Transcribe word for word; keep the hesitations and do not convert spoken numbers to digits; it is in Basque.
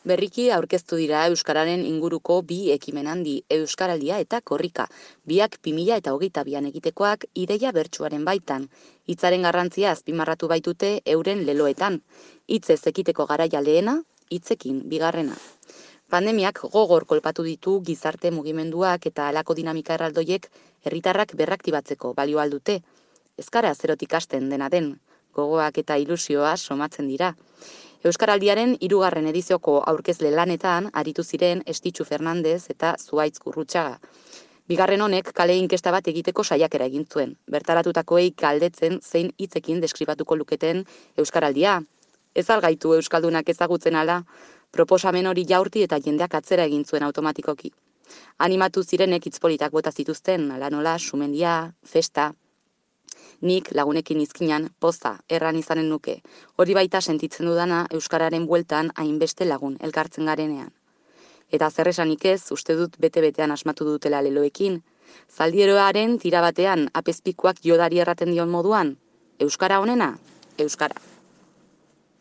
Berriki aurkeztu dira euskararen inguruko bi ekimen handi, Euskaraldia eta Korrika, biak bi mila eta hogeita bian egitekoak ideia bertsuaren baitan. Hitzaren garrantzia azpimarratu baitute euren leloetan. Hitzez ekiteko garaia lehena, hitzekin bigarrena. Pandemiak gogor kolpatu ditu gizarte mugimenduak eta halako dinamika erraldoiek herritarrak berraktibatzeko balio aldute. Euskara zerotik hasten dena den, gogoak eta ilusioa somatzen dira. Euskaraldiaren hirugarren edizioko aurkezle lanetan aritu ziren Estitxu Fernandez eta Zuhaitz Gurrutxaga. Bigarren honek kale inkesta bat egiteko saiakera egin zuen. Bertaratutakoei galdetzen zein hitzekin deskribatuko luketen euskaraldia. Ez algaitu euskaldunak ezagutzen ala, proposamen hori jaurti eta jendeak atzera egin zuen automatikoki. Animatu zirenek hitz politak bota zituzten, ala nola, sumendia, festa. Nik lagunekin izkinan poza erran izanen nuke. Hori baita sentitzen dudana euskararen bueltan hainbeste lagun elkartzen garenean. Eta zer esanik ez, uste dut bete-betean asmatu dutela leloekin. Zaldieroaren tira batean apezpikuak jodari erraten dion moduan, euskara honena, euskara.